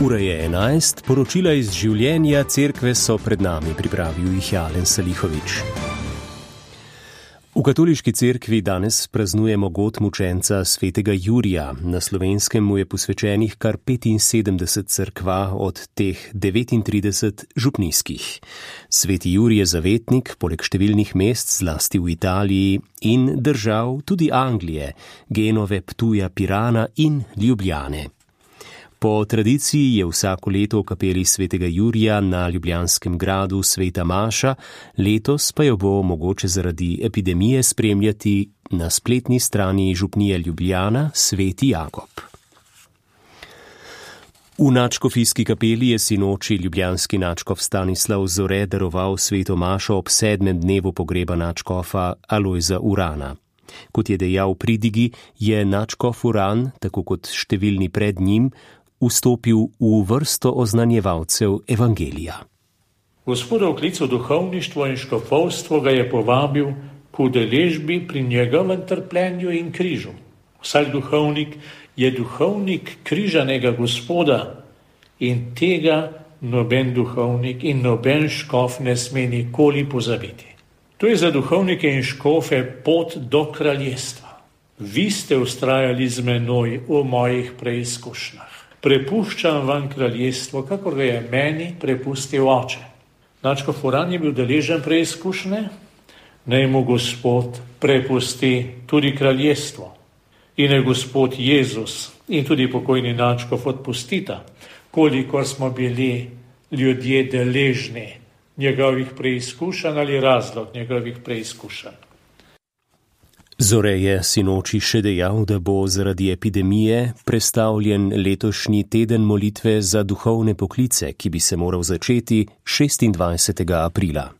Ura je 11, poročila iz življenja cerkve so pred nami, pripravil jih Alen Salihovič. V katoliški cerkvi danes praznujemo god mučenca svetega Jurija. Na Slovenskem mu je posvečenih kar 75 cerkva, od teh 39 župnijskih. Sveti Jurij je zavetnik, poleg številnih mest, zlasti v Italiji in držav tudi Anglije, Genove, Ptuja, Pirana in Ljubljane. Po tradiciji je vsako leto v kapeli svetega Jurija na ljubljanskem gradu sveta maša, letos pa jo bo mogoče zaradi epidemije spremljati na spletni strani župnije Ljubljana sveti Jakob. V nadškofijski kapeli je sinoči ljubljanski nadškof Stanislav Zore daroval sveto mašo ob 7. dnevu pogreba nadškofa Alojza Urana. Kot je dejal v pridigi, je nadškof Uran, tako kot številni pred njim, vstopil v vrsto oznanjevalcev evangelija. Gospodov klic v duhovništvo in škofovstvo ga je povabil k udeležbi pri njegovem trpljenju in križu. Vsak duhovnik je duhovnik križanega Gospoda in tega noben duhovnik in noben škof ne sme nikoli pozabiti. To je za duhovnike in škofe pot do kraljestva. Vi ste vztrajali z menoj v mojih preizkušnjah. Prepuščam vam kraljestvo, kakor ga je meni prepustil oče. Nadškof Uran je bil deležen preizkušnje, naj mu Gospod prepusti tudi kraljestvo. In naj Gospod Jezus in tudi pokojni nadškof odpustita, kolikor smo bili ljudje deležni njegovih preizkušenj ali razlog njegovih preizkušenj. Zore je sinoči še dejal, da bo zaradi epidemije prestavljen letošnji teden molitve za duhovne poklice, ki bi se moral začeti 26. aprila.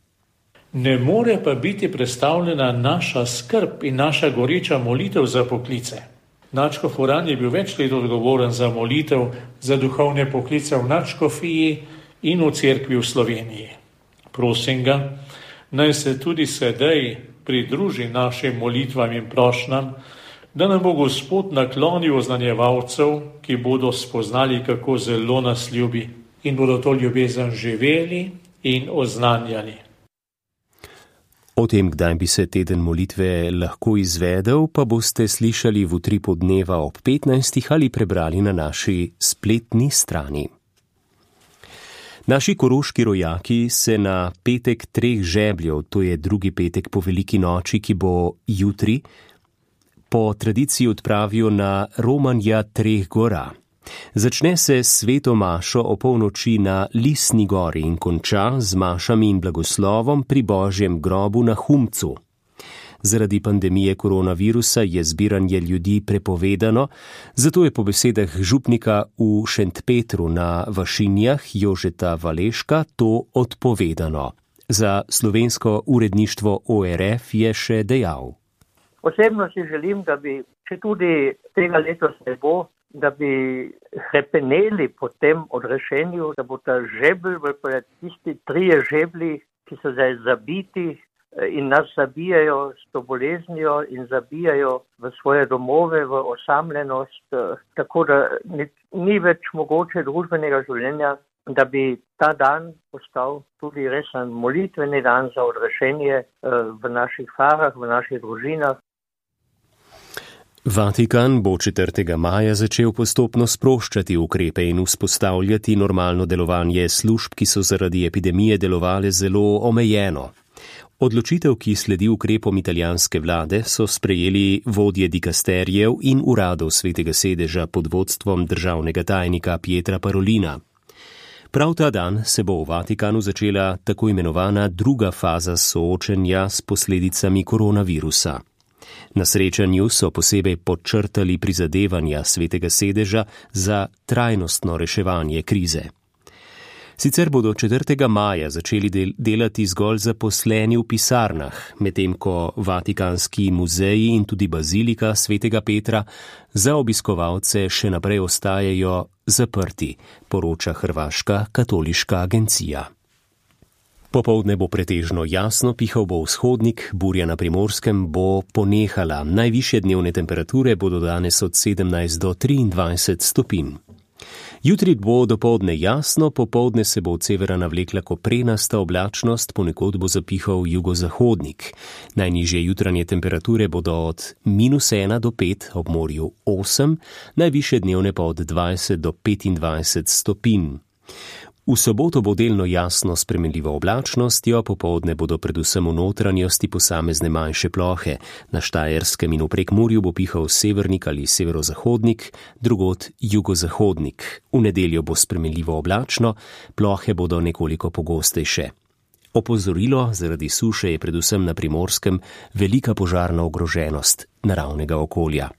Ne more pa biti prestavljena naša skrb in naša goreča molitev za poklice. Nadškof Uran je bil več let odgovoren za molitev za duhovne poklice v nadškofiji in v cerkvi v Sloveniji. Prosim ga, naj se tudi sedaj pridruži našim molitvam in prošnjam, da nam bo Gospod naklonil oznanjevalcev, ki bodo spoznali, kako zelo nas ljubi in bodo to ljubezen živeli in oznanjali. O tem, kdaj bi se teden molitve lahko izvedel, pa boste slišali v utripu dneva ob 15. ali prebrali na naši spletni strani. Naši koroški rojaki se na petek 3 žebljev, to je drugi petek po veliki noči, ki bo jutri, po tradiciji odpravijo na Romanja 3 gora. Začne se s sveto mašo o polnoči na Lisni gori in konča z mašami in blagoslovom pri Božjem grobu na Humcu. Zaradi pandemije koronavirusa je zbiranje ljudi prepovedano, zato je po besedah župnika v Šentpetru na Vašinjah Jožeta Valeška to odpovedano. Za slovensko uredništvo ORF je še dejal. Osebno si želim, da bi, če tudi tega letos ne bo, da bi hrepeneli po tem odrešenju, da bo ta žebelj, tisti 3 žeblji, ki so zdaj zabiti, in nas zabijajo s to boleznijo in zabijajo v svoje domove, v osamljenost, tako da ni več mogoče družbenega življenja, da bi ta dan postal tudi resen molitveni dan za odrešenje v naših farah, v naših družinah. Vatikan bo 4. maja začel postopno sproščati ukrepe in vzpostavljati normalno delovanje služb, ki so zaradi epidemije delovale zelo omejeno. Odločitev, ki sledi ukrepom italijanske vlade, so sprejeli vodje dikasterijev in uradov svetega sedeža pod vodstvom državnega tajnika Pietra Parolina. Prav ta dan se bo v Vatikanu začela tako imenovana druga faza soočenja s posledicami koronavirusa. Na srečanju so posebej podčrtali prizadevanja svetega sedeža za trajnostno reševanje krize. Sicer bodo 4. maja začeli delati zgolj zaposleni v pisarnah, medtem ko Vatikanski muzeji in tudi bazilika svetega Petra za obiskovalce še naprej ostajajo zaprti, poroča hrvaška katoliška agencija. Popoldne bo pretežno jasno, pihal bo vzhodnik, burja na Primorskem bo ponehala. Najvišje dnevne temperature bodo danes od 17 do 23 stopinj. Jutri bo dopoldne jasno, popoldne se bo od severa navlekla koprenasta oblačnost, ponekod bo zapihal jugozahodnik. Najnižje jutranje temperature bodo od -1 do 5, ob morju 8, najvišje dnevne pa od 20 do 25 stopinj. V soboto bo delno jasno s spremenljivo oblačnostjo, popoldne bodo predvsem v notranjosti posamezne manjše plohe. Na Štajerskem in v Prekmurju bo pihal severnik ali severozahodnik, drugod jugozahodnik. V nedeljo bo spremenljivo oblačno, plohe bodo nekoliko pogostejše. Opozorilo zaradi suše je predvsem na Primorskem velika požarna ogroženost naravnega okolja.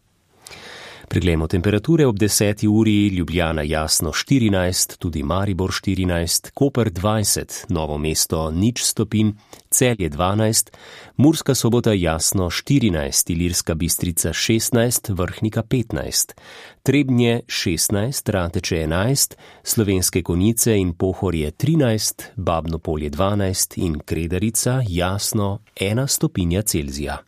Preglejmo temperature ob 10. uri, Ljubljana jasno 14, tudi Maribor 14, Koper 20, Novo mesto 0 stopinj, Celje 12, Murska Sobota jasno 14, Ilirska Bistrica 16, Vrhnika 15, Trebnje 16, Rateče 11, Slovenske Konjice in Pohorje 13, Babno Polje 12 in Kredarica jasno 1 stopinja Celzija.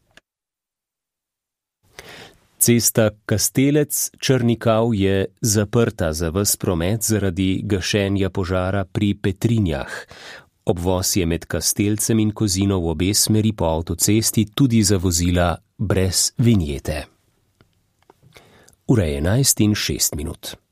Cesta Kastelec-Črnikav je zaprta za ves promet zaradi gašenja požara pri Petrinjah. Obvoz je med Kastelcem in Kozino v obe smeri po avtocesti tudi za vozila brez vinjete. Ura je 11:06.